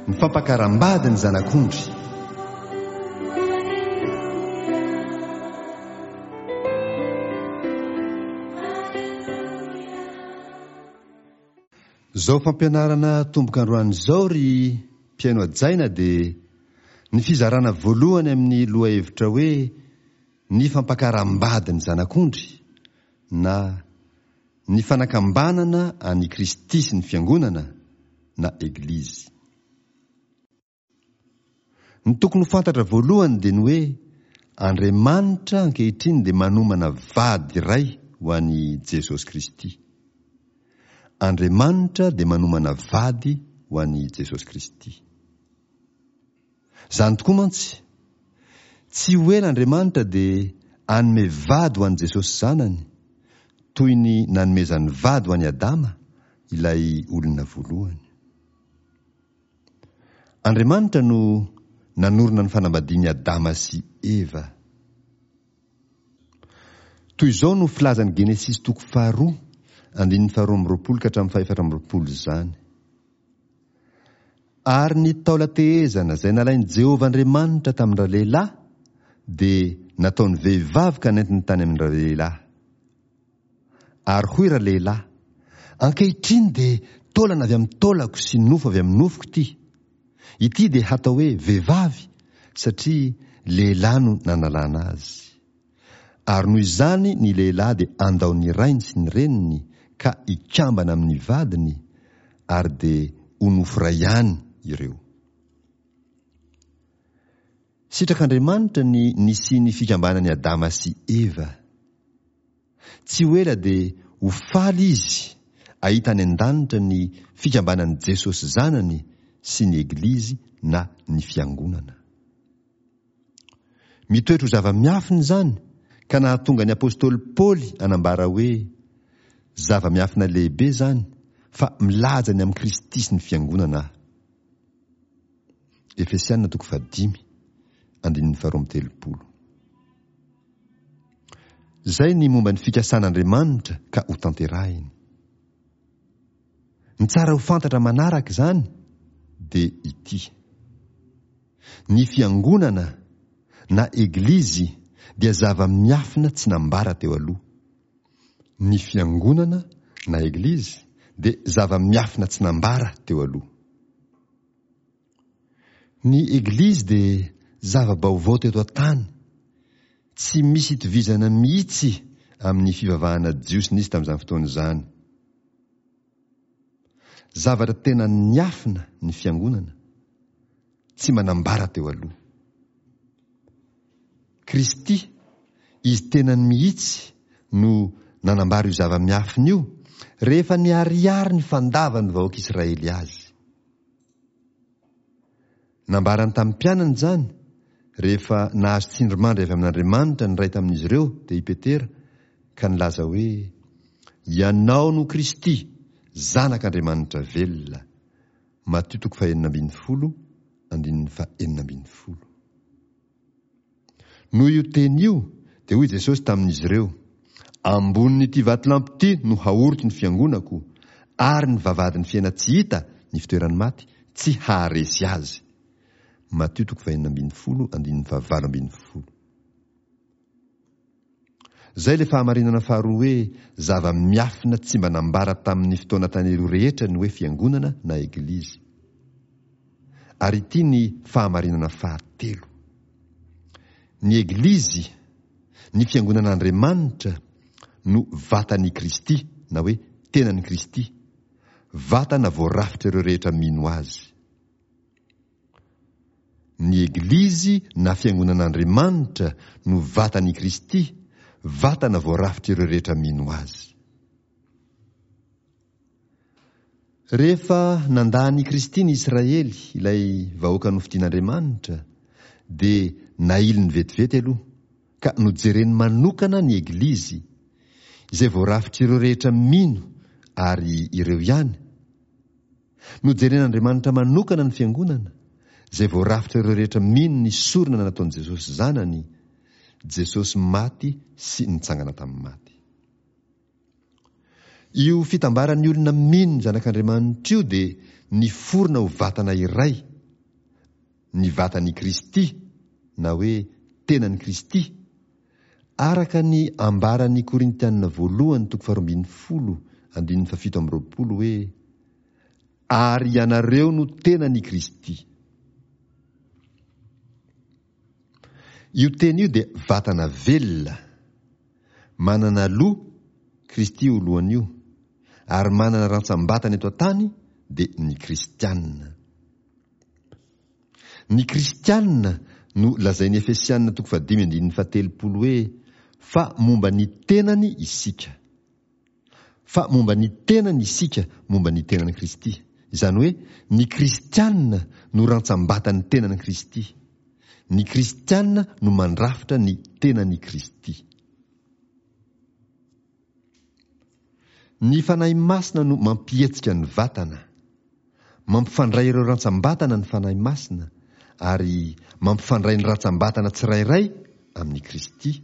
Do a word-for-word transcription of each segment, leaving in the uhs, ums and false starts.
Ny fampakaram-bady ny Zanak'ondry. Izao fampianarana atomboka androany izao ry mpihaino hajaina dia ny fizarana voalohany amin'ny lohahevitra hoe ny fampakaram-bady ny Zanak'ondry na ny fanakambanana an'i Kristy sy ny Fiangonana na Eglizy. Ny tokony ho fantatra voalohany dia ny hoe Andriamanitra ankehitriny dia manomana vady iray ho an'i Jesosy Kristy. Andriamanitra dia manomana vady ho an'i Jesosy Kristy. Izany tokoa mantsy. Tsy ho ela Andriamanitra dia hanome vady ho an'i Jesosy Zanany, toy ny nanomezany vady ho an'i Adama, ilay olona voalohany. Andriamanitra no nanorina ny fanambadian'i Adama sy Eva. Toy izao no filazan'ny Genesisy toko faharoa, andininy faharoa amby roapolo ka hatramin'ny fahefatra amby roapolo izany. Ary ny taolan-tehezana izay nalain'i Jehovah Andriamanitra tamin-dralehilahy dia nataony vehivavy ka nentiny tany amin-dralehilahy. Ary hoy ralehilahy, Ankehitriny dia taolana avy amin'ny taolako sy nofo avy amin'ny nofoko ity. Ity dia hatao hoe vehivavy, satria lehilahy no nanalana azy. Ary noho izany ny lehilahy dia andao ny rainy sy ny reniny ka hikambana amin'ny vadiny, ary dia ho nofo iray ihany ireo. Sitrak'Andriamanitra ny nisian'ny fikambanan'i Adama sy Eva. Tsy ho ela dia ho faly izy ahita any an-danitra ny fikambanan'i Jesosy Zanany sy ny Eglizy na ny Fiangonana. Mitoetra ho zava-miafina izany ka nahatonga ny apostoly Paoly hanambara hoe, Zava-miafina lehibe izany, fa milaza ny amin'i Kristy sy ny Fiangonana aho. Efesiana toko fahadimy, andininy faharoa amby telopolo. Izay ny momba ny fikasan'Andriamanitra ka hotanterahiny. Ny tsara ho fantatra manaraka izany dia ity. Ny fiangonana na eglizy dia zava-miafina tsy nambara teo aloha. Ny fiangonana na eglizy dia zava-miafina tsy nambara teo aloha. Ny Eglizy dia zava-baovao teto an-tany, tsy misy itovizana mihitsy amin'ny fivavahana jiosy nisy tamin'izany fotoana izany. Zavatra tena niafina ny fiangonana, tsy mba nambara teo aloha. Kristy, Izy tenany mihitsy no nanambara io zava-miafina io rehefa niharihary ny fandavan'ny vahoaka Israely azy. Nambarany tamin'ny mpianany izany rehefa nahazo tsindrimandry avy amin'Andriamanitra ny iray tamin'izy ireo, dia i Petera, ka nilaza hoe, Ianao no Kristy, Zanak'Andriamanitra velona. Matio toko fahenina ambin'ny folo, andininy fahenina ambin'ny folo. Noho io teny io, dia hoy Jesosy tamin'izy ireo, Ambonin'ity vatolampy ity no haoriko ny fiangonako, ary ny vavahadin'ny fiaina-tsy hita, ny fitoeran'ny maty, tsy haharesy azy. Matio toko fahenina ambin'ny folo, andininy fahavalo ambin'ny folo. Izay ilay fahamarinana faharoa hoe zava-miafina tsy mba nambara tamin'ny fotoana tany aloha rehetra ny hoe fiangonana na eglizy. Ary ity ny fahamarinana fahatelo. Ny eglizy, ny fiangonan'Andriamanitra, no vatan'i Kristy na hoe tenan'i Kristy, vatana voarafitr'ireo rehetra mino azy. Ny Eglizy na Fiangonan'Andriamanitra no vatan'i Kristy, vatana voarafitr'ireo rehetra mino Azy. Rehefa nandà an'i Kristy ny Israely, ilay vahoaka nofidin'Andriamanitra, dia nailiny vetivety aloha, ka nojereny manokana ny Eglizy, izay voarafitr'ireo rehetra mino ary ireo ihany, Nojeren'Andriamanitra manokana ny Fiangonana, izay voarafitra ireo rehetra mino ny sorona nataon'i Jesosy Zanany, Jesosy maty sy nitsangana tamin'ny maty. Io fitambaran'ny olona mino ny Zanak'Andriamanitra io dia niforona ho vatana iray, ny vatan'i Kristy na hoe tenan'i Kristy, araka ny ambaran'ny Korintianina voalohany toko faharoa ambin'ny folo andininy fahafito amby roapolo hoe ary ianareo no tenan'i Kristy. Io teny io dia vatana velona, manana loha, Kristy io lohany io, ary manana rantsam-batana eto an-tany dia ny kristianina. Ny kristianina no lazain'ny Efesianina toko fahadimy andininy fahatelopolo hoe fa momba ny tenany isika. Fa momba ny tenany isika, momba ny tenan'i Kristy. Izany hoe ny kristianina no rantsam-batan'ny tenan'i Kristy. Ny kristianina no mandrafitra ny tenan'i Kristy. Ny Fanahy Masina no mampihetsika ny vatana. Mampifandray ireo rantsam-batana ny Fanahy Masina ary mampifandray ny rantsam-batana tsirairay amin'i Kristy.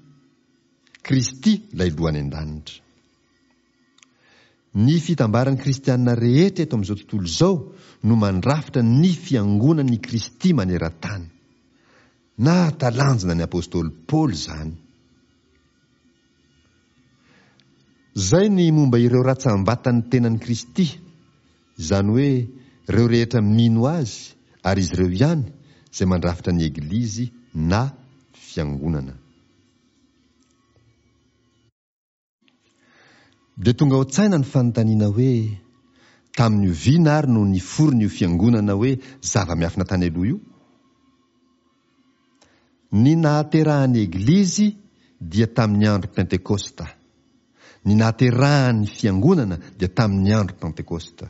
Kristy ilay Loha any an-danitra. Ny fitambaran'ny kristianina rehetra eto amin'izao tontolo izao no mandrafitra ny fiangonan'i Kristy maneran-tany. Nahatalanjona ny apostoly Paoly izany. Izay ny momba ireo ratsambatan'ny tenan'i Kristy, izany hoe ireo rehetra mino Azy ary izy ireo ihany izay mandrafitra ny Eglizy na Fiangonana. Dia tonga ao an-tsaina ny fanontaniana hoe, tamin'ny oviana ary no niforona io fiangonana hoe zava-miafina tany aloha io? Ny nahaterahan'ny Eglizy dia tamin'ny andro Pentekosta. Ny nahaterahan'ny fiangonana dia tamin'ny andro Pentekosta.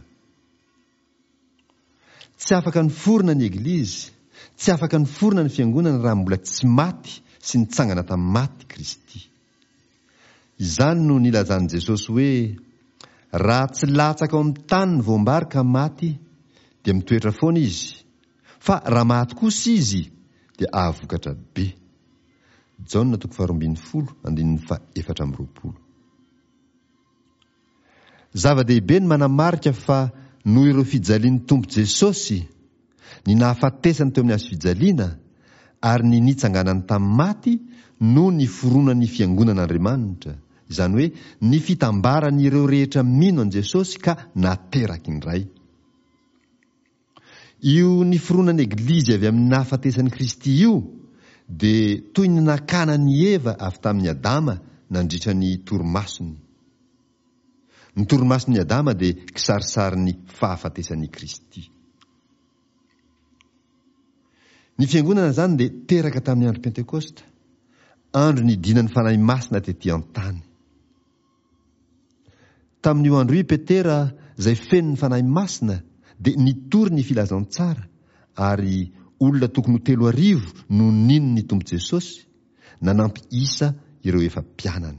Tsy afaka niforona ny Eglizy, tsy afaka niforona ny fiangonana raha mbola tsy maty sy nitsangana tamin'ny maty Kristy. Izany no nilazan'i Jesosy hoe, Raha tsy latsaka ao amin'ny tany ny voam-bary ka maty, dia mitoetra foana izy, fa raha maty kosa izy, dia ahavokatra be. Jaona toko faharoa ambin'ny folo, andininy faha-efatra amby roapolo. Zava-dehibe ny manamarika fa noho ireo fijalian'ny Tompo Jesosy, ny nahafatesany teo amin'ny hazo fijaliana ary ny nitsanganany tamin'ny maty no niforonan'ny Fiangonan'Andriamanitra, izany hoe ny fitambaran'ireo rehetra mino an'i Jesosy ka nateraky ny Ray. Io niforonan'ny Eglizy avy amin'ny nahafatesan'i Kristy io dia toy ny nakana an'i Eva avy tamin'i Adama nandritra ny torimasony. Ny torimason'i Adama dia kisarisarin'ny fahafatesan'i Kristy. Ny Fiangonana izany dia teraka tamin'ny andro Pentekosta, andro nidinan'ny Fanahy Masina tetỳ an-tany. Tamin'io andro io i Petera, izay feno ny Fanahy Masina, dia nitory ny filazantsara, ary olona tokony ho telo arivo no nino ny Tompo Jesosy, nanampy isa ireo efa mpianany.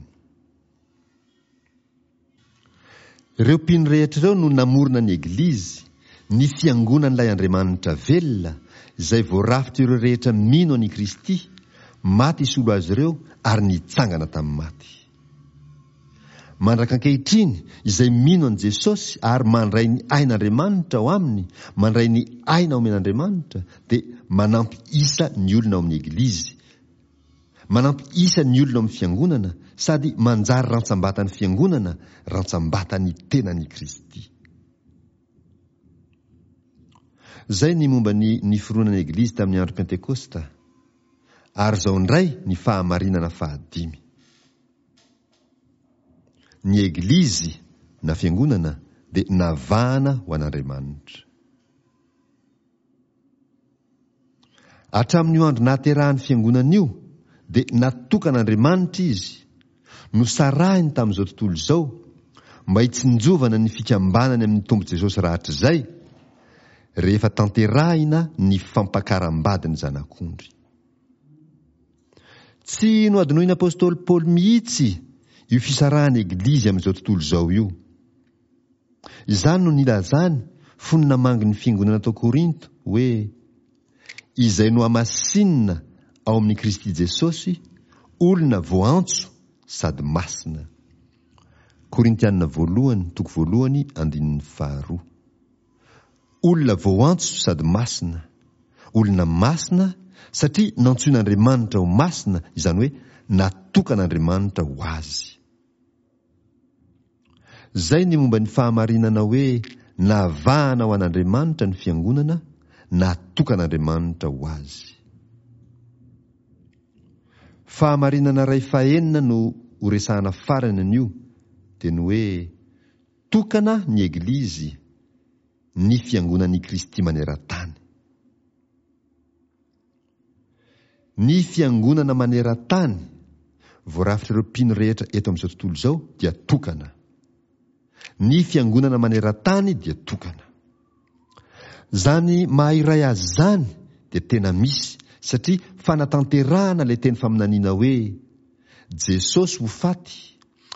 Ireo mpino rehetra ireo no namorona ny Eglizy, ny Fiangonan'ilay Andriamanitra velona, izay voarafitr'ireo rehetra mino an'i Kristy, maty hisolo azy ireo ary nitsangana tamin'ny maty. Mandraka ankehitriny, izay mino an'i Jesosy ary mandray ny ain'Andriamanitra ao aminy, mandray ny aina omen'Andriamanitra, dia manampy isa ny olona ao amin'ny Eglizy, manampy isa ny olona ao amin'ny Fiangonana sady manjary rantsambatan'ny Fiangonana, rantsambatan'ny tenan'i Kristy. Izay ny momba ny niforonan'ny Eglizy tamin'ny andro Pentekosta. Ary izao indray ny fahamarinana fahadimy. Ny Eglizy na Fiangonana dia navahana ho an'Andriamanitra. Hatramin'io andro nahaterahan'ny Fiangonana io dia natokan'Andriamanitra izy, nosarahiny tamin'izao tontolo izao, mba hitsinjovana ny fikambanany amin'ny Tompo Jesosy rahatrizay, rehefa tanterahina ny fampakaram-badin'ny Zanak'ondry. Tsy nohadinoin'ny apostoly Paoly mihitsy io fisarahan'ny Eglizy amin'izao tontolo izao io. Izany no nilazany fony namangy ny fiangonana tao Korinto hoe, Izay nohamasinina ao amin'i Kristy Jesosy, olona voaantso sady masina. Korintiana voalohany toko voalohany andininy faharoa. Olona voaantso sady masina, Olona masina satria nantsoin'Andriamanitra ho masina, izany hoe natokan'Andriamanitra ho azy. Izay ny momba ny fahamarinana hoe navahana ho an'Andriamanitra ny fiangonana, natokan'Andriamanitra ho azy. Fahamarinana iray fahenina no horesahana farany anio, dia ny hoe tokana ny Eglizy, ny fiangonan'i Kristy maneran-tany. Ny fiangonana maneran-tany, voarafitr'ireo mpino rehetra eto amin'izao tontolo izao, dia tokana. Ny fiangonana maneran-tany dia tokana. Izany maha iray azy izany dia tena misy satria fanatanterahana ilay teny faminaniana hoe Jesosy ho faty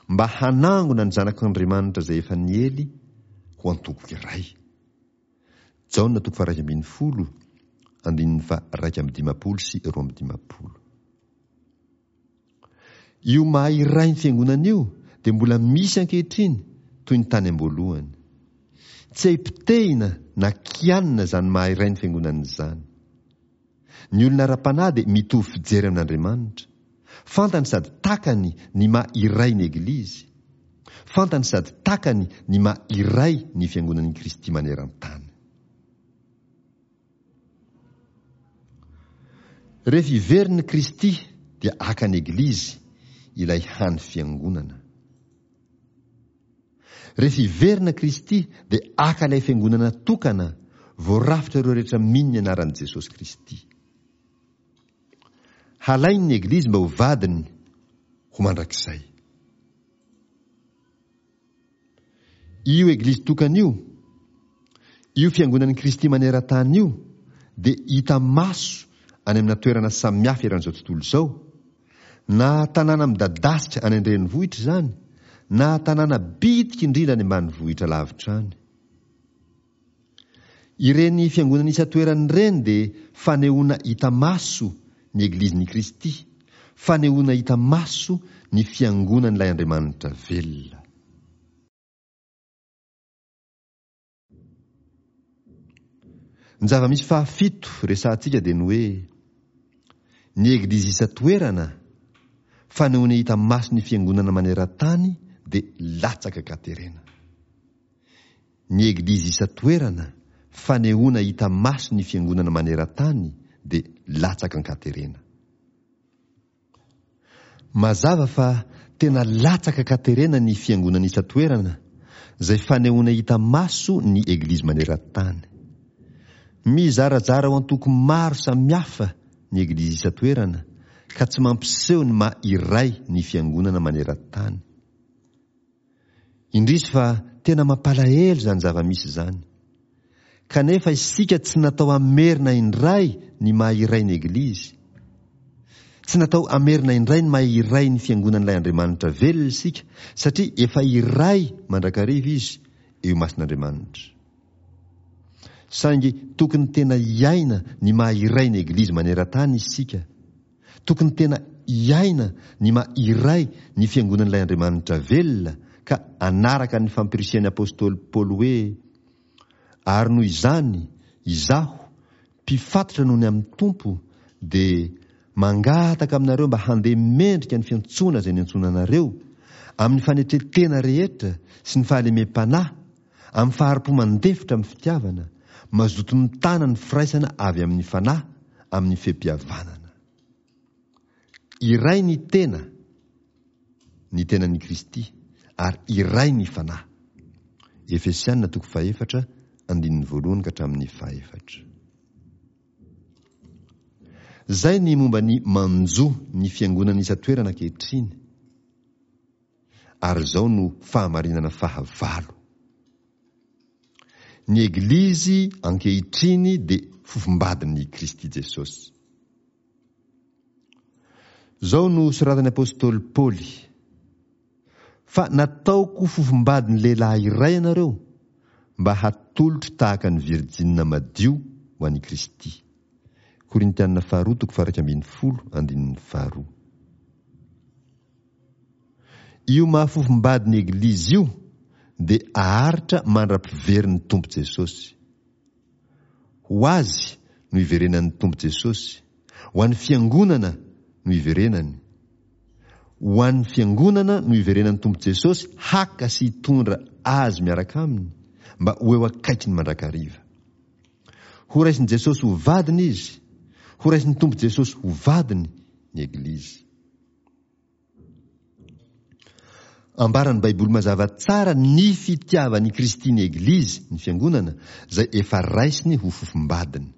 mba hanangona ny zanak'Andriamanitra izay efa niely ho antoko iray. Jaona toko faha iraika ambin'ny folo, andininy faha iraika amby dimampolo sy roa amby dimampolo. Io maha iray ny fiangonana io dia mbola misy ankehitriny toy ny tany am-boalohany. Tsy hay potehina na kianina izany maha iray ny fiangonana izany. Ny olona ara-panahy dia mitovy fijery amin'Andriamanitra. Fantany sady takany ny maha iray ny Eglizy. Fantany sady takany ny maha iray ny fiangonan'i Kristy maneran-tany. Rehefa hiverina Kristy dia haka ny Eglizy, ilay hany fiangonana. Rehefa hiverina Kristy dia haka ilay fiangonana tokana, voarafitra ireo rehetra mino ny anaran'i Jesosy Kristy. Halainy ny Eglizy mba ho vadiny ho mandrakizay. Io Eglizy tokana io, io Fiangonan'i Kristy maneran-tany io, dia hita maso any amina toerana samihafa eran'izao tontolo izao, na tanàna midadasika any an-drenivohitra izany, na tanàna bitika indrindra any ambanivohitra lavitra any. Ireny fiangonana isan-toerana ireny dia fanehoana hita maso ny Eglizin'i Kristy, fanehoana hita maso ny Fiangonan'ilay Andriamanitra velona. Ny zava-misy fahafito resahantsika dia ny hoe ny Eglizy isan-toerana, fanehoana hita maso ny Fiangonana maneran-tany dia latsaka an-katerena. Ny Eglizy isan-toerana, fanehoana hita maso ny Fiangonana maneran-tany dia latsaka an-katerena. Mazava fa tena latsaka an-katerena ny Fiangonana isan-toerana, izay fanehoana hita maso ny Eglizy maneran-tany. Mizarazara ho antoko maro samihafa ny Eglizy isan-toerana, ka tsy mampiseho ny maha iray ny Fiangonana maneran-tany. Indrisy fa tena mampalahelo izany zava-misy izany. Kanefa isika tsy natao hamerina indray ny maha iray ny Eglizy. Tsy natao hamerina indray ny maha iray ny Fiangonan'ilay Andriamanitra velona isika, satria efa iray mandrakariva izy eo imason'Andriamanitra. Saingy tokony tena hiaina ny maha iray ny Eglizy maneran-tany isika. Tokony tena hiaina ny maha iray ny Fiangonan'ilay Andriamanitra velona ka hanaraka ny fampirisihan'ny apostoly Paoly hoe, Ary noho izany, izaho, mpifatotra noho ny amin'ny Tompo, dia mangataka aminareo mba handeha mendrika ny fiantsoana izay niantsoana anareo, amin'ny fanetren-tena rehetra sy ny fahalemem-panahy, amin'ny fahari-po mandefitra amin'ny fitiavana, mazoto mitana ny firaisana avy amin'ny Fanahy amin'ny fe-pihavanana. Iray ny tena, ny tenan'i Kristy, ary iray ny Fanahy. Efesiana toko fahefatra, andininy voalohany ka hatramin'ny fahefatra. Izay ny momba ny manjo ny fiangonana isan-toerana ankehitriny. Ary izao no fahamarinana fahavalo. Ny Eglizy ankehitriny dia fofombadin'i Kristy Jesosy. Izao no soratan'ny apostoly Paoly, Fa nataoko fofombadin'ny lehilahy iray ianareo, mba hatolotro tahaka ny virjinina madio ho an'i Kristy. Korintiana faharoa toko faha-iraika ambin'ny folo andininy faharoa. Io maha fofombady ny Eglizy io dia aharitra mandra-piverin'ny Tompo Jesosy. Ho Azy no iverenan'ny Tompo Jesosy, ho an'ny Fiangonana no iverenany. Ho an'ny Fiangonana no iverenan'ny Tompo Jesosy haka sy hitondra azy miaraka aminy mba ho eo akaikiny mandrakariva. Ho raisin'i Jesosy ho vadiny izy, ho raisin'ny Tompo Jesosy ho vadiny ny Eglizy. Ambaran'ny Baiboly mazava tsara ny fitiavan'i Kristy ny Eglizy, ny Fiangonana, izay efa raisiny ho fofombadiny.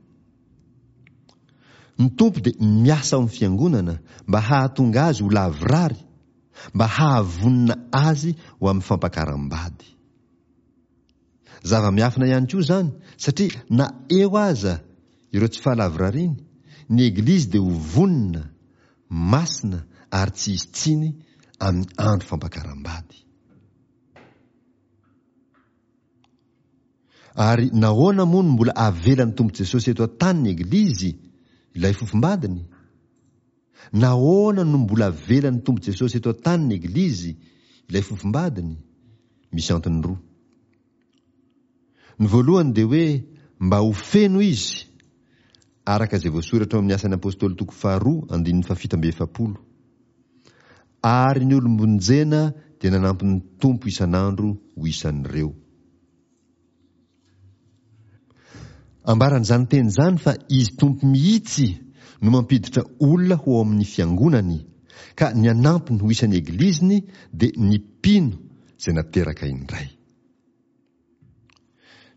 Ny Tompo dia miasa ao amin'ny Fiangonana mba hahatonga azy ho lavorary, mba hahavonona azy ho amin'ny fampakaram-bady. Zava-miafina ihany koa izany, satria na eo aza ireo tsy fahalavorariany, ny Eglizy dia ho vonona, masina ary tsy hisy tsiny amin'ny andro fampakaram-bady. Ary nahoana moa no mbola avelan'ny Tompo Jesosy eto an-tany ny Eglizy, ilay fofombadiny? Nahoana no mbola avelan'ny Tompo Jesosy eto an-tany ny Eglizy, ilay fofombadiny? Misy antony roa. Ny voalohany dia hoe mba ho feno izy, araka izay voasoratra ao amin'ny Asan'ny Apostoly toko faharoa andininy fahafito amby efapolo. Ary ny olom-bonjena dia nanampy ny Tompo isan'andro ho isan'ireo. Ambaran'izany teny izany fa Izy Tompo mihitsy no mampiditra olona ho ao amin'ny Fiangonany, ka ny hanampiny ho isan'ny Egliziny dia ny mpino izay nateraka indray.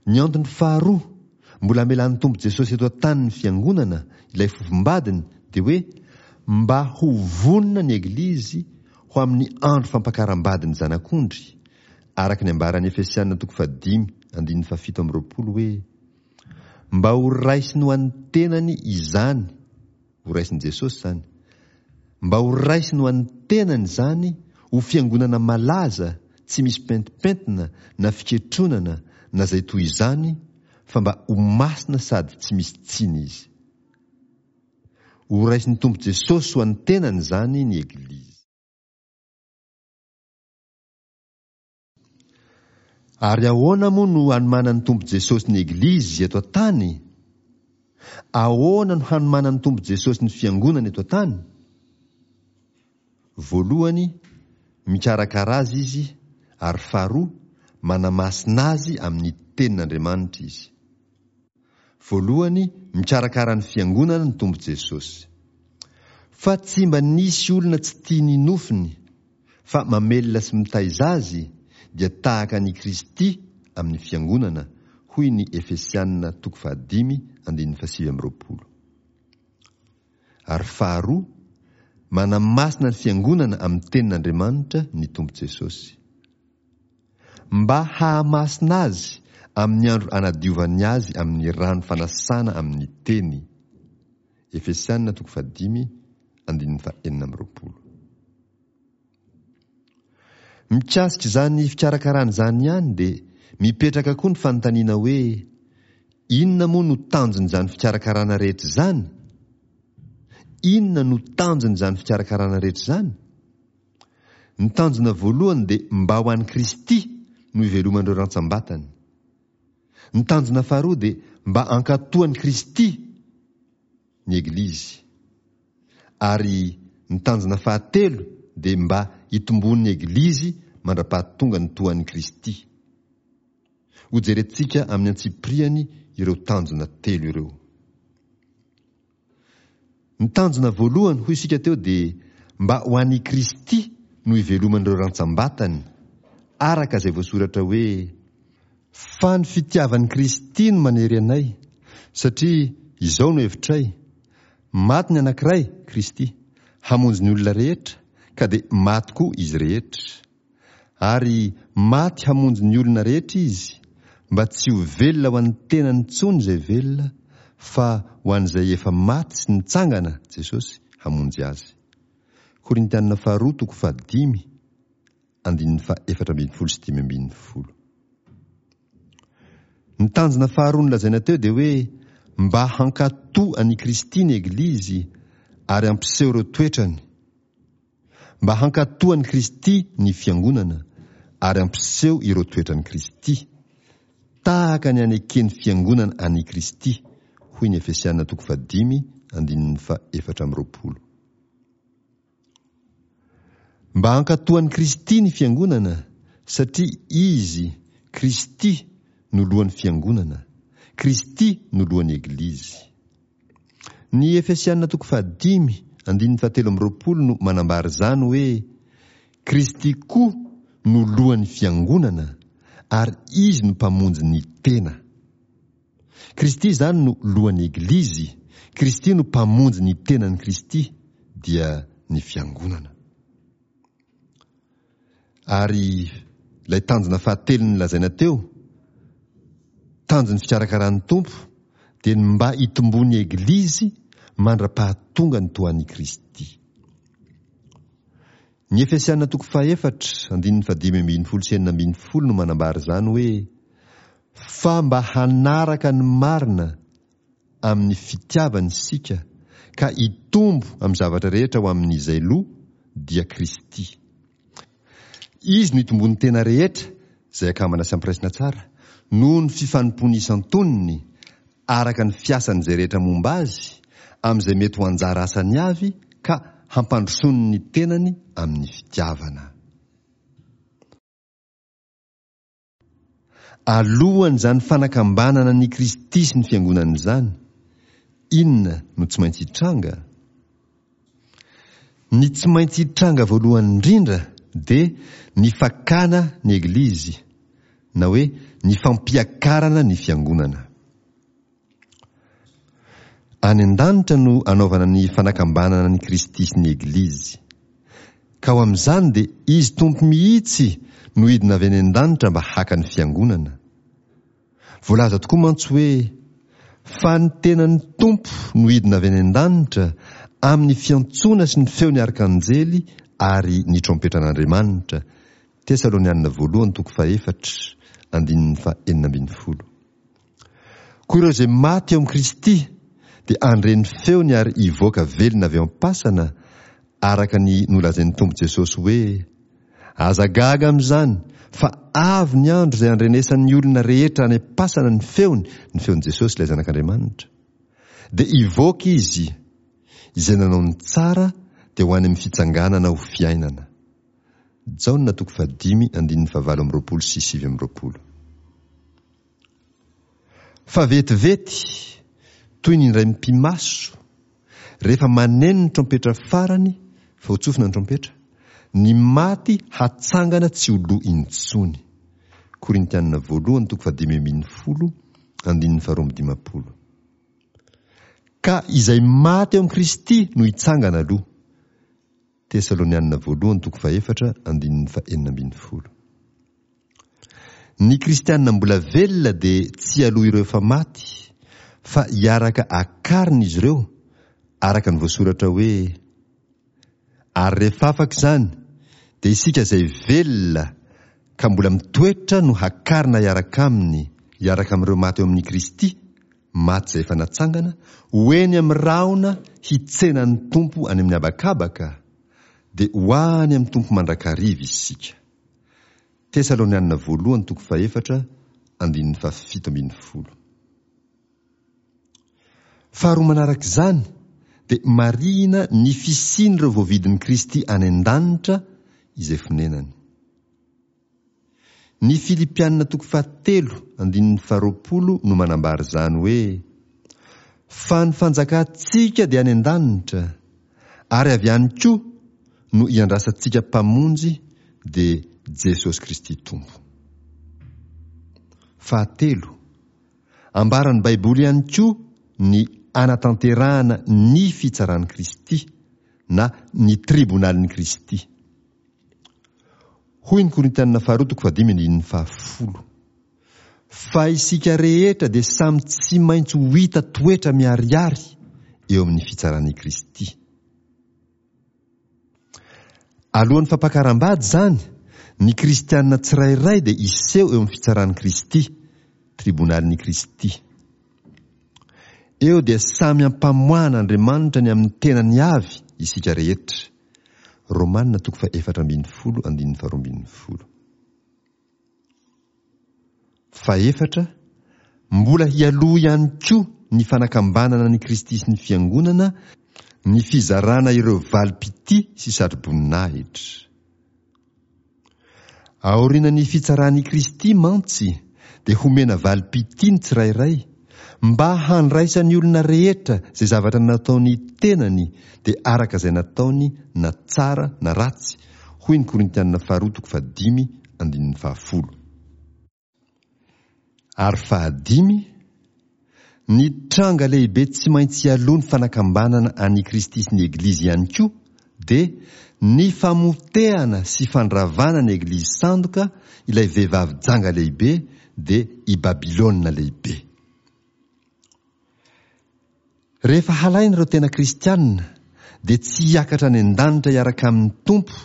Ny antony faharoa mbola amelan'ny Tompo Jesosy eto an-tany ny Fiangonana, ilay fofombadiny, dia hoe mba ho vonona ny Eglizy ho amin'ny andro fampakaram-badin'ny Zanak'ondry, araka ny ambaran'ny Efesiana toko fahadimy andininy fahafito amby roapolo hoe, Mba ho raisiny ho an'ny tenany izany, ho raisin'i Jesosy izany, mba ho raisiny ho an'ny tenany izany ho fiangonana malaza tsy misy pentimpentina na fiketronana na izay toy izany fa mba ho masina sady tsy misy tsiny izy. Ho raisin'ny Tompo Jesosy ho an'ny tenany izany ny Eglizy. Ary ahoana moa no hanomanan'ny Tompo Jesosy ny Eglizy eto an-tany? Ahoana no hanomanan'ny Tompo Jesosy ny Fiangonana eto an-tany? Voalohany, mikarakara azy Izy, ary faharoa, manamasina azy amin'ny Tenin'Andriamanitra Izy. Voalohany, mikarakara ny Fiangonana ny Tompo Jesosy. Fa tsy mba nisy olona tsy tia ny nofony, fa mamelona sy mitaiza azy, dia tahaka an' i Kristy amin' ny Fiangonana, hoy ny Efesiana toko fahadimy andininy fahasivy amby roapolo. Ary faharoa, manamasina ny Fiangonana amin' ny Tenin' Andriamanitra ny Tompo Jesosy. Mba hahamasina azy amin' ny andro anadiovany azy amin' ny rano fanasana amin' ny Teny. Efesiana toko fahadimy andininy fahenina amby roapolo. Mikasika izany fikarakarana izany ihany dia mipetraka koa ny fanontaniana hoe, inona moa no tanjon'izany fikarakarana rehetra izany? Inona no tanjon'izany fikarakarana rehetra izany? Ny tanjona voalohany dia mba ho an'i Kristy no iveloman'ireo rantsambatany. Ny tanjona faharoa dia mba hankatoan'i Kristy ny Eglizy. Ary ny tanjona fahatelo dia mba hitomboan'ny Eglizy mandra-pahatonga ny tohan'i Kristy. Hojerentsika amin'ny antsipiriany ireo tanjona telo ireo. Ny tanjona voalohany, hoy isika teo, dia mba ho an'i Kristy no iveloman'ireo rantsambatany, araka izay voasoratra hoe, Fa ny fitiavan'i Kristy no manery anay, satria izao no hevitray, Maty ny anankiray, Kristy, hamonjy ny olona rehetra, ka dia maty koa izy rehetra. Ary maty hamonjy ny olona rehetra Izy, mba tsy ho velona ho an'ny tenany intsony izay velona, fa ho an'izay efa maty sy nitsangana, Jesosy, hamonjy azy. Korintiana faharoa toko fahadimy, andininy faha efatra ambin'ny folo sy dimy ambin'ny folo. Ny tanjona faharoa nolazaina teo dia hoe mba hankatò an'i Kristy ny Eglizy ary hampiseho ireo toetrany. Mba hankatò an'i Kristy ny Fiangonana ary hampiseho ireo toetran'i Kristy, tahaka ny aneken'ny Fiangonana an'i Kristy, hoy ny Efesiana toko fahadimy andininy faha efatra amby roapolo. Mba hankatò an'i Kristy ny fiangonana, satria Izy, Kristy, no lohan'ny fiangonana, Kristy no lohan'ny Eglizy. Ny Efesiana toko fahadimy andininy fahatelo amby roapolo no manambara izany hoe Kristy koa no lohan'ny fiangonana ary Izy no mpamonjy ny tena. Kristy izany no lohan'ny Eglizy, Kristy no mpamonjy ny tenan'i Kristy, dia ny fiangonana. Ary ilay tanjona fahatelo nolazaina teo, tanjon'ny fikarakaran'ny Tompo, dia ny mba hitomboan'ny Eglizy mandra-pahatonga ny toan'i Kristy. Ny Efesiana toko fahefatra andininy fahadimy ambin'ny folo sy enina ambin'ny folo no manambara izany hoe fa mba hanaraka ny marina amin'ny fitiavana isika ka hitombo amin'ny zavatra rehetra ho amin'izay loha dia Kristy. Izy no hitomboan'ny tena rehetra izay akambana sy ampiraisina tsara noho ny fifanompoany isan-tonony araka ny fiasan'izay rehetra momba azy amin'izay mety ho anjara asany avy ka hampandrosoany ny tenany amin'ny fitiavana. Alohan'izany fanakambanana ny Kristy sy ny fiangonana izany, inona no tsy maintsy hitranga? Ny tsy maintsy hitranga voalohany indrindra dia ny fakana ny Eglizy, na hoe ny fampiakarana ny fiangonana. Any an-danitra no anaovana ny fanakambanana ny Kristy sy ny Eglizy. Ka ho amin'izany dia Izy Tompo mihitsy no hidina avy any an-danitra mba haka ny fiangonana. Voalaza tokoa mantsy hoe fa ny tenan'ny Tompo no hidina avy any an-danitra amin'ny fiantsoana sy ny feon'ny arkanjely ary ny trompetran'Andriamanitra. Tesalonianina voalohany toko fahefatra andininy fahenina ambin'ny folo. Koa ireo izay maty eo amin'i Kristy dia handre ny feony ary hivoaka velona avy eo am-pasana araka ny nolazain'ny Tompo Jesosy hoe aza gaga amin'izany fa avy ny andro izay handrenesan'ny olona rehetra any am-pasana ny feony, ny feon'i Jesosy ilay Zanak'Andriamanitra. Dia hivoaka izy, izay nanao ny tsara dia ho any amin'ny fitsanganana ho fiainana. Jaona toko fahadimy andininy fahavalo amby roapolo sy sivy amby roapolo. Fa vetivety, toy ny indray mipi-maso, rehefa maneno ny trompetra farany, fa ho tsofina ny trompetra, ny maty hatsangana tsy ho lo intsony. Korintianina voalohany toko fahadimy ambin'ny folo andininy faharoa amby dimampolo. Ka izay maty eo amin'i Kristy no hitsangana aloha. Tesalonianina voalohany toko fahefatra andininy fahenina ambin'ny folo. Ny kristianina mbola velona dia tsy aloha ireo efa maty, fa hiaraka akarina izy ireo araka ny voasoratra hoe ary rehefa afaka izany dia isika izay velona ka mbola mitoetra no hakarina hiaraka aminy, hiaraka amin'ireo maty eo amin'i Kristy, maty izay efa natsangana, ho eny amin'ny rahona hitsena ny Tompo any amin'ny habakabaka, dia ho any amin'ny Tompo mandrakariva isika. Tesalonianina voalohany toko fahefatra andininy fahafito ambin'ny folo. Faharoa manaraka izany dia marihina ny fisian'ireo voavidin'i Kristy any an-danitra izay fonenany. Ny Filipianina toko fahatelo andininy faharoapolo no manambara izany hoe fa ny fanjakantsika dia any an-danitra ary avy any koa no iandrasantsika mpamonjy dia Jesosy Kristy Tompo. Fahatelo, ambaran'ny Baiboly ihany koa ny anatanterahana ny fitsaran'i Kristy na ny tribonalin'i Kristy. Hoy ny Korintianina faharoa toko fahadimy andininy fahafolo. Fa isika rehetra dia samy tsy maintsy ho hita toetra miharihary eo amin'ny fitsaran'i Kristy. Alohan'ny fampakaram-bady izany, ny kristianina tsirairay dia hiseho eo amin'ny fitsaran'i Kristy, tribonalin'i Kristy. Eo dia samy ampamoahan'Andriamanitra ny amin'ny tenany avy isika rehetra. Romanina toko faha efatra ambin'ny folo andininy faharoa ambin'ny folo. Fahefatra, mbola hialoha ihany koa ny fanakambanana an'i Kristy sy ny Fiangonana ny fizarana ireo valim-pitia sy satroboninahitra. Aorianan'ny fitsaran'i Kristy mantsy dia homena valim-pitia ny tsirairay mba handraisan'ny olona rehetra izay zavatra nataony tenany dia araka izay nataony na tsara na ratsy, hoy ny Korintianina faharoa toko fahadimy andininy fahafolo. Ary fahadimy, ny tranga lehibe tsy maintsy hialoha ny fanakambanana an'i Kristy sy ny Eglizy ihany koa dia ny famotehana sy fandravana ny Eglizy sandoka ilay vehivavy janga lehibe dia i Babylona lehibe. Rehefa halaina ireo tena kristianina dia tsy hiakatra any an-danitra hiaraka amin'ny Tompo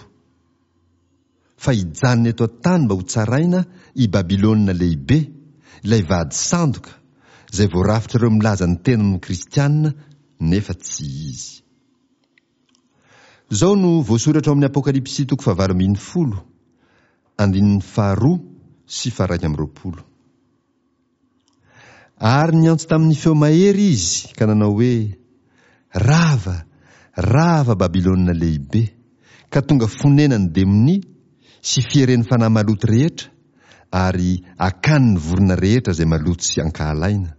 fa hijanona eto an-tany mba hotsaraina i Babylona lehibe, ilay vady sandoka, izay voarafitr'ireo milaza ny tenany ho kristianina nefa tsy izy. Izao no voasoratra ao amin'ny Apokalypsy toko fahavalo ambin'ny folo, andininy faharoa sy faharaika amby roapolo. Ary niantso tamin'ny feo mahery izy ka nanao hoe, Rava, rava Babylona lehibe, ka tonga fonenan'ny demonia sy fieren'ny fanahy maloto rehetra, ary akanin'ny vorona rehetra izay maloto sy ankahalaina.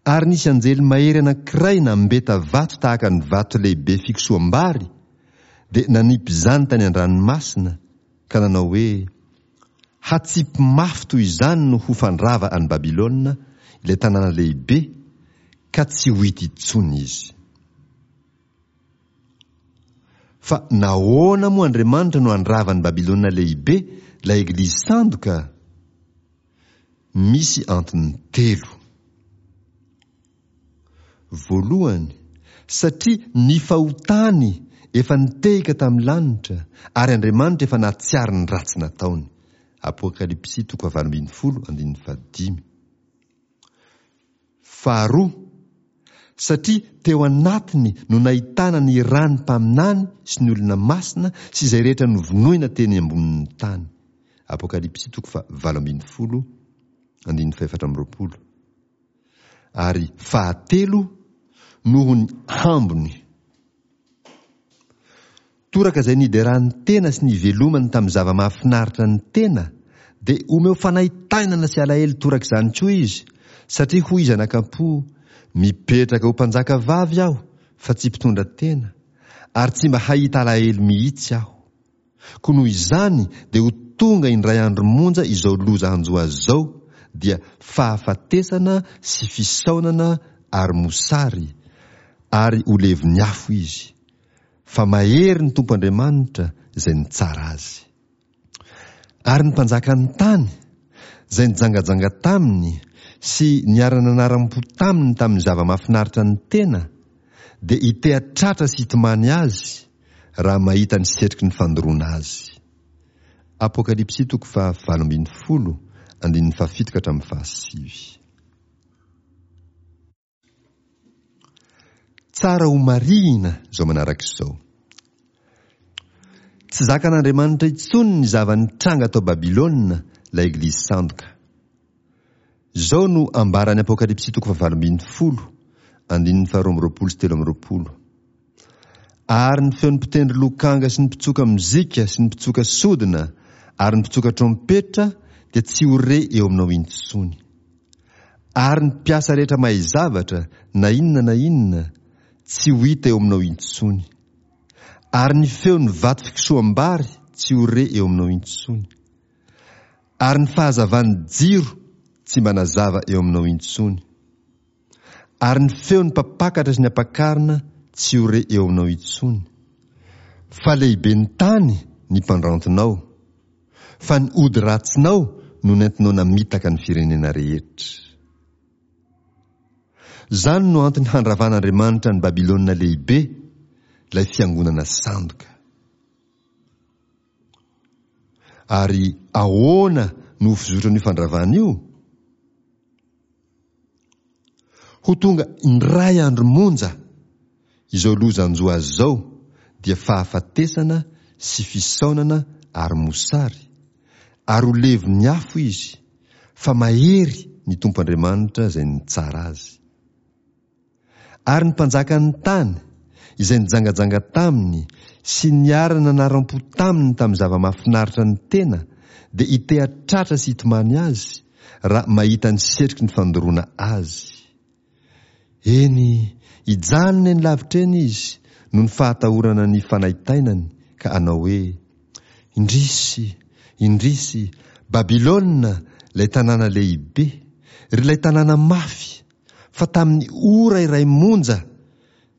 Ary nisy anjely mahery anankiray nambeta vato tahaka ny vato lehibe fikosoham-bary, dia nanipy izany tany an-dranomasina, ka nanao hoe, Hatsipy mafy toy izany no ho fandrava an'i Babylona, ilay tanàna lehibe, ka tsy ho hita intsony izy. Fa nahoana moa Andriamanitra no handrava an'i Babylona lehibe, ilay eglizy sandoka? Misy antony telo. Voalohany, satria ny fahotany efa nitehika tamin'ny lanitra, ary Andriamanitra efa nahatsiaro ny ratsy nataony. Apokalypsy toko fahavalo ambin'ny folo andininy fahadimy. Faharoa, satria teo anatiny no nahitana ny ran'ny mpaminany sy ny olona masina sy izay rehetra novonoina teny ambonin'ny tany. Apokalypsy toko fahavalo ambin'ny folo andininy fahefatra amby roapolo. Ary fahatelo, noho ny hambony. Toraka izay niderany tena sy nivelomany tamin'ny zava-mahafinaritra ny tena, dia omeo fanaintainana sy alahelo toraka izany koa izy, satria hoy izy anakam-po, Mipetraka ho mpanjaka vavy aho, fa tsy mpitondra tena, ary tsy mba hahita alahelo mihitsy aho. Koa noho izany dia ho tonga indray andro monja izao loza hanjo azy izao, dia fahafatesana sy fisaonana ary mosary, ary ho levon'ny afo izy. Fa mahery ny Tompo Andriamanitra izay nitsara azy. Ary ny mpanjakan'ny tany, izay nijangajanga taminy sy niara-nanaram-po taminy tamin'ny zava-mahafinaritra ny tena, dia hiteha-tratra sy hitomany azy, raha mahita ny setroky ny fandoroana azy. Apokalypsy toko faha valo ambin'ny folo, andininy fahafito ka hatramin'ny fahasivy. Tsara ho marihina izao manaraka izao. Tsy zakan'Andriamanitra intsony ny zava-nitranga tao Babylona, ilay eglizy sandoka. Izao no ambaran'ny Apokalypsy toko fahavalo ambin'ny folo, andininy faharoa amby roapolo sy telo amby roapolo. Ary ny feon'ny mpitendry lokanga sy ny mpitsoka mozika sy ny mpitsoka sodina ary ny mpitsoka trompetra dia tsy ho re eo aminao intsony. Ary ny mpiasa rehetra mahay zavatra, na inona na inona, tsy ho hita eo aminao intsony. Ary ny feon'ny vato fikosoham-bary tsy ho re eo aminao intsony. Ary ny fahazavan'ny jiro tsy mba nazava eo aminao intsony. Ary ny feon'ny mpampakatra sy ny ampakarina tsy ho re eo aminao intsony. Fa lehiben'ny tany ny mpandrantonao, fa ny ody ratsinao no nentinao namitaka ny firenena rehetra. Izany no antony handravan'Andriamanitra an'i Babylona lehibe, ilay fiangonana sandoka. Ary ahoana no ho fizotran'io fandravana io? Ho tonga indray andro monja izao loza hanjo azy izao, dia fahafatesana sy fisaonana ary mosary, ary ho levon'ny afo izy, fa mahery ny Tompo Andriamanitra izay nitsara azy. Ary ny mpanjakan'ny tany, izay nijangajanga taminy sy niara-nanaram-po taminy tamin'ny zava-mahafinaritra ny tena, dia hiteha-tratra sy hitomany azy, raha mahita ny setroky ny fandoroana azy. Eny, hijanona eny lavitra eny izy noho ny fahatahorana ny fanaintainany ka hanao hoe, Indrisy, indrisy, Babylona, ilay tanàna lehibe, ry ilay tanàna mafy, fa tamin'ny ora iray monja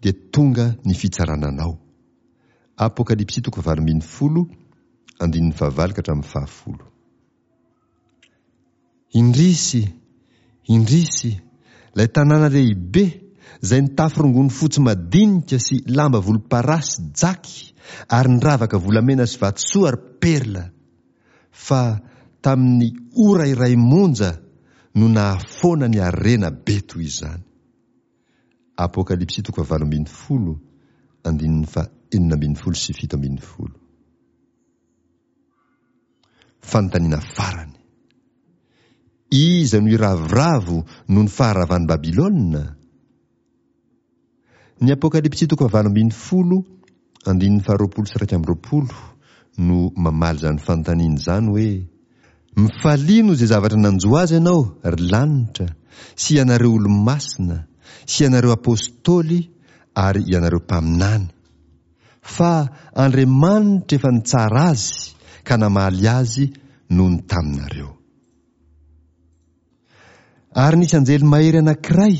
dia tonga ny fitsarana anao. Apokalypsy toko fahavalo ambin'ny folo, andininy fahavalo ka hatramin'ny fahafolo. Indrisy, indrisy, ilay tanàna lehibe izay nitafy rongony fotsy madinika sy lamba volomparasy jaky ary niravaka volamena sy vatosoa ary perla, fa tamin'ny ora iray monja no nahafoana ny harena be toy izany. Apokalypsy toko fahavalo ambin'ny folo, andininy faha enina ambin'ny folo sy fito ambin'ny folo. Fanontaniana farany. Iza no hiravoravo noho ny faharavan'i Babylona? Ny Apokalypsy toko fahavalo ambin'ny folo, andininy faharoapolo sy iraika amby roapolo no mamaly izany fanontaniana izany hoe, Mifalia noho izay zavatra nanjo azy ianao, ry lanitra, sy ianareo olo-masina, sy ianareo apostoly ary ianareo mpaminany, fa Andriamanitra efa nitsara azy ka namaly azy noho ny taminareo. Ary nisy anjely mahery anankiray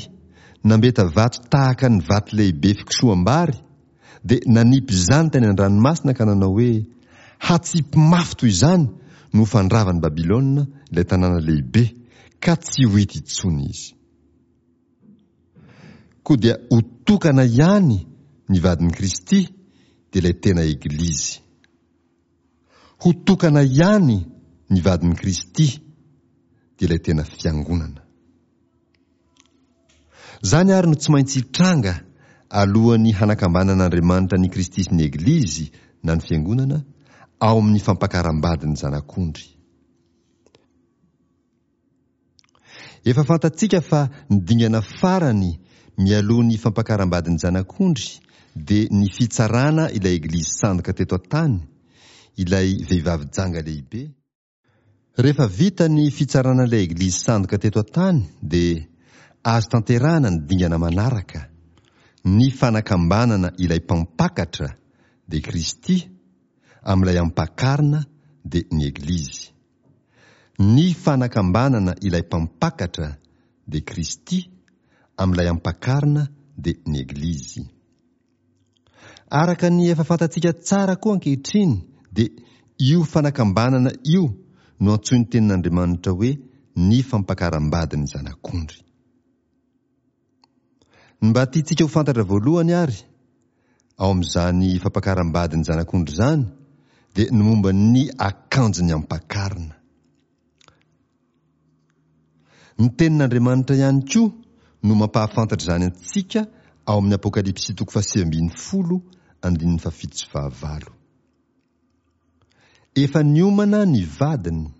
nambeta vato tahaka ny vato lehibe fikosoham-bary, dia nanipy izany tany an-dranomasina ka nanao hoe, Hatsipy mafy toy izany no ho fandravan'i Babylona ilay tanàna lehibe, ka tsy ho hita intsony izy. Koa dia ho tokana ihany ny vadin'i Kristy, dia ilay tena Eglizy. Ho tokana ihany ny vadin'i Kristy, dia ilay tena Fiangonana. Izany àry no tsy maintsy hitranga alohan'ny hanakambanan'Andriamanitra an'i Kristy sy ny Eglizy, na ny Fiangonana, ao amin'ny fampakaram-badin'ny Zanak'ondry. Efa fantatsika fa ny dingana farany mialoha ny fampakaram-badin'ny Zanak'ondry dia ny fitsarana ilay Eglizy sandoka teto an-tany, ilay vehivavy janga lehibe. Rehefa vita ny fitsarana ilay Eglizy sandoka teto an-tany dia azo tanterahana ny dingana manaraka, ny fanakambanana ilay Mpampakatra, dia Kristy, amin'ilay Ampakarina, dia ny Eglizy. Ny fanakambanana ilay Mpampakatra, dia Kristy, amin'ilay Ampakarina, dia ny Eglizy. Araka ny efa fantatsika tsara koa ankehitriny, dia io fanakambanana io no antsoin'ny Tenin'Andriamanitra hoe ny fampakaram-badin'ny Zanak'ondry. Ny mba tiantsika ho fantatra voalohany àry ao amin'izany fampakaram-badin'ny Zanak'ondry izany dia ny momba ny akanjon'ny ampakarina. Ny Tenin'Andriamanitra ihany koa no mampahafantatra izany antsika ao amin'ny Apokalypsy toko fahasivy ambin'ny folo andininy fahafito sy fahavalo. Efa niomana ny vadiny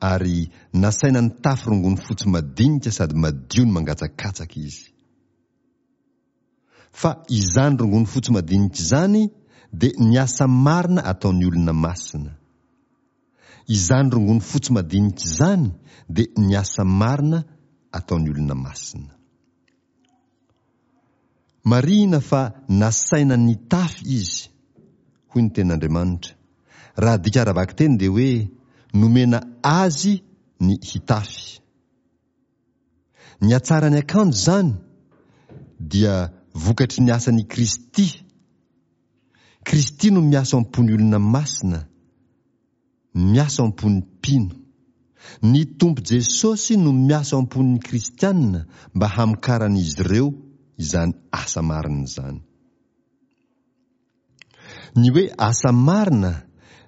ary nasaina nitafy rongony fotsy madinika sady madio ny mangatsakatsaka izy. Fa izany rongony fotsy madinika izany dia ny asa marina ataon'ny olona masina. Izany rongony fotsy madinika izany dia ny asa marina ataon'ny olona masina. Marihina fa nasaina nitafy izy, hoy ny Tenin'Andriamanitra. Raha adika ara-bakiteny dia hoe nomena azy ny hitafy. Ny hatsaran'ny akanjo izany dia vokatry ny asan'i Kristy. Kristy no miasa ao am-pon'ny olona masina. Miasa ao am-pon'ny mpino. Ny Tompo Jesosy no miasa ao am-pon'ny kristiana mba hamokaran'izy ireo izany asa marina izany. Ny hoe asa marina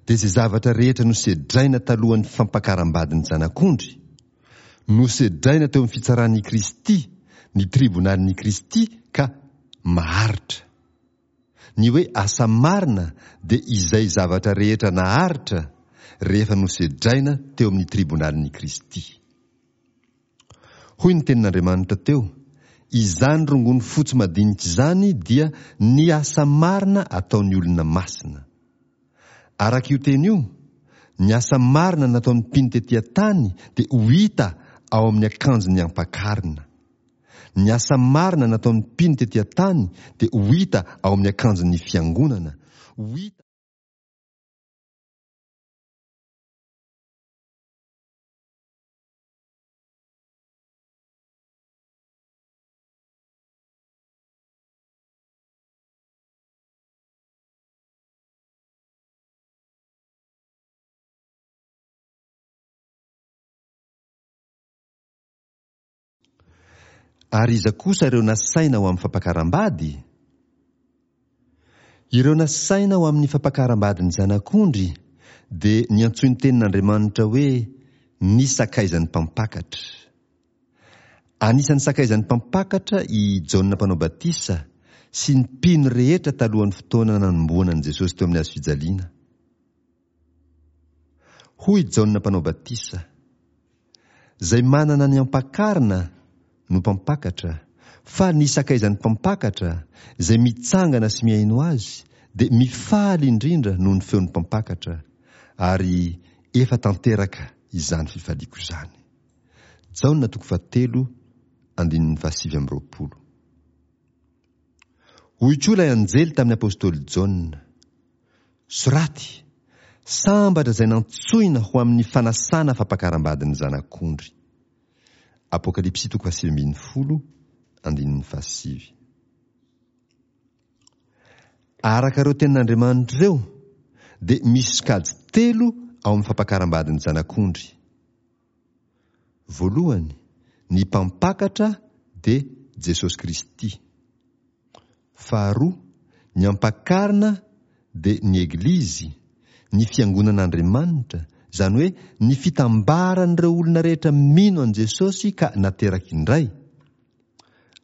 dia izay zavatra rehetra nosedraina talohan'ny fampakaram-badin'ny Zanak'ondry, nosedraina teo amin'ny fitsaran'i Kristy, ny tribonalin'i Kristy ka maharitra. Ny hoe asa marina dia izay zavatra rehetra naharitra rehefa nosedraina teo amin'ny tribonalin'i Kristy. Hoy ny tenin'Andriamanitra teo, izany rongony fotsy madinika izany dia ny asa marina ataon'ny olona masina. Araka io teny io, ny asa marina nataon'ny mpino tetỳ an-tany dia ho hita ao amin'ny akanjon'ny ampakarina. Ny asa marina nataon'ny mpino tetỳ an-tany dia ho hita ao amin'ny akanjon'ny fiangonana. Ho hita Ary iza kosa ireo nasaina ho amin'ny fampakaram-bady? Ireo nasaina ho amin'ny fampakaram-badin'ny Zanak'ondry dia niantsoin'ny tenin'Andriamanitra hoe ny sakaizan'ny mpampakatra. Anisan'ny sakaizan'ny mpampakatra i Jaona Mpanao Batisa sy ny mpino rehetra talohan'ny fotoana nanomboana an'i Jesosy teo amin'ny hazo fijaliana. Hoy Jaona Mpanao Batisa, Izay manana ny ampakarina no mpampakatra, fa ny sakaizan'ny mpampakatra, izay mitsangana sy mihaino azy, dia mifaly indrindra noho ny feon'ny mpampakatra, ary efa tanteraka izany fifaliako izany. Jaona toko fahatelo andininy fahasivy amby roapolo. Hoy koa ilay anjely tamin'ny apostoly Jaona, Soraty, sambatra izay nantsoina ho amin'ny fanasana fampakaram-badin'ny Zanak'ondry. Apokalypsy toko fahasivy ambin'ny folo andininy fahasivy. Araka ireo tenin'Andriamanitra ireo, dia misy sokajy telo ao amin'ny fampakaram-badin'ny Zanak'ondry. Voalohany, ny mpampakatra dia Jesosy Kristy. Faharoa, ny ampakarina dia ny Eglizy, ny Fiangonan'Andriamanitra, izany hoe ny fitambaran'ireo olona rehetra mino an'i Jesosy ka nateraka indray.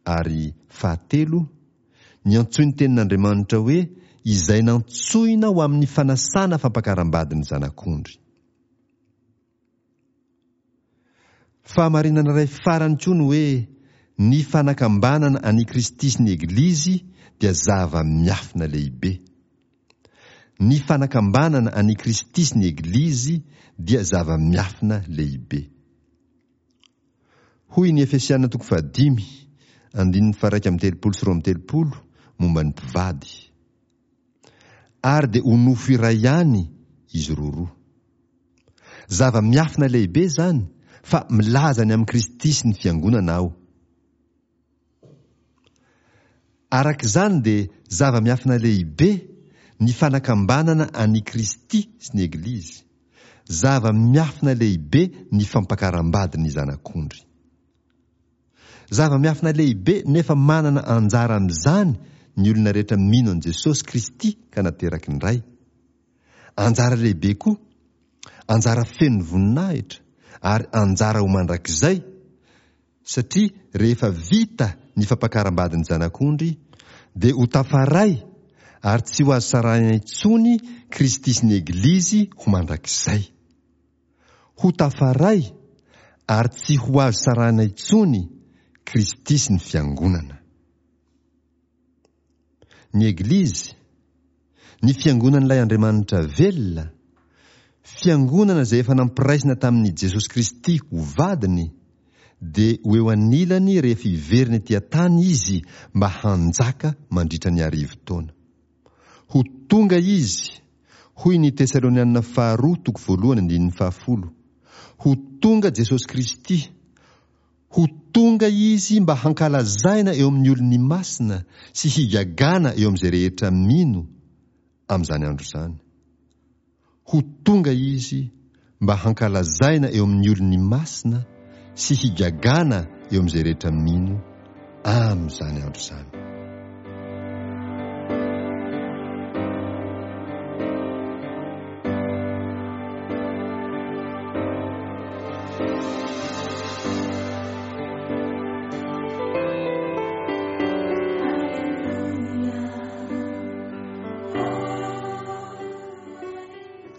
Ary fahatelo, ny antsoin'ny Tenin'Andriamanitra hoe izay nantsoina ho amin'ny fanasana fampakaram-badin'ny Zanak'ondry. Fahamarinana iray farany koa ny hoe ny fanakambanana an'i Kristy sy ny Eglizy dia zava-miafina lehibe. Ny fanakambanana an'i Kristy sy ny Eglizy dia zava-miafina lehibe. Hoy ny Efesiana toko fahadimy, andininy faha-iraika amby telopolo sy roa amby telopolo momba ny mpivady. Ary dia ho nofo iray ihany izy roroa. Zava-miafina lehibe izany, fa milaza ny amin'i Kristy sy ny Fiangonana aho. Araka izany dia zava-miafina lehibe ny fanakambanana an'i Kristy sy ny Eglizy. Zava-miafina lehibe ny fampakaram-bady ny Zanak'ondry. Zava-miafina lehibe nefa manana anjara amin'izany ny olona rehetra mino an'i Jesosy Kristy ka nateraky ny Ray. Anjara lehibe koa, anjara feno voninahitra ary anjara ho mandrakizay, satria rehefa vita ny fampakaram-badin'ny Zanak'ondry dia ho tafaray ary tsy ho azo sarahina intsony Kristy sy ny Eglizy ho mandrakizay. Ho tafaray ary tsy ho azo sarahina intsony Kristy sy ny Fiangonana. Ny Eglizy, ny Fiangonan'ilay Andriamanitra velona, Fiangonana izay efa nampiraisina tamin'i Jesosy Kristy ho vadiny, dia ho eo anilany rehefa hiverina ety an-tany Izy mba hanjaka mandritra ny arivo taona. Ho tonga Izy, hoy ny Tesalonianina faharoa toko voalohany andininy fahafolo, ho tonga Jesosy Kristy, Ho tonga Izy mba hankalazaina eo amin'ny olony masina sy higagana eo amin'izay rehetra mino amin'izany andro izany. Ho tonga Izy mba hankalazaina eo amin'ny olony masina sy higagana eo amin'izay rehetra mino amin'izany andro izany.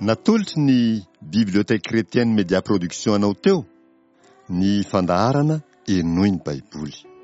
Natolotry ny Bibliothèque Chrétienne Média Production anao teo ny fandaharana Henoy ny Baiboly.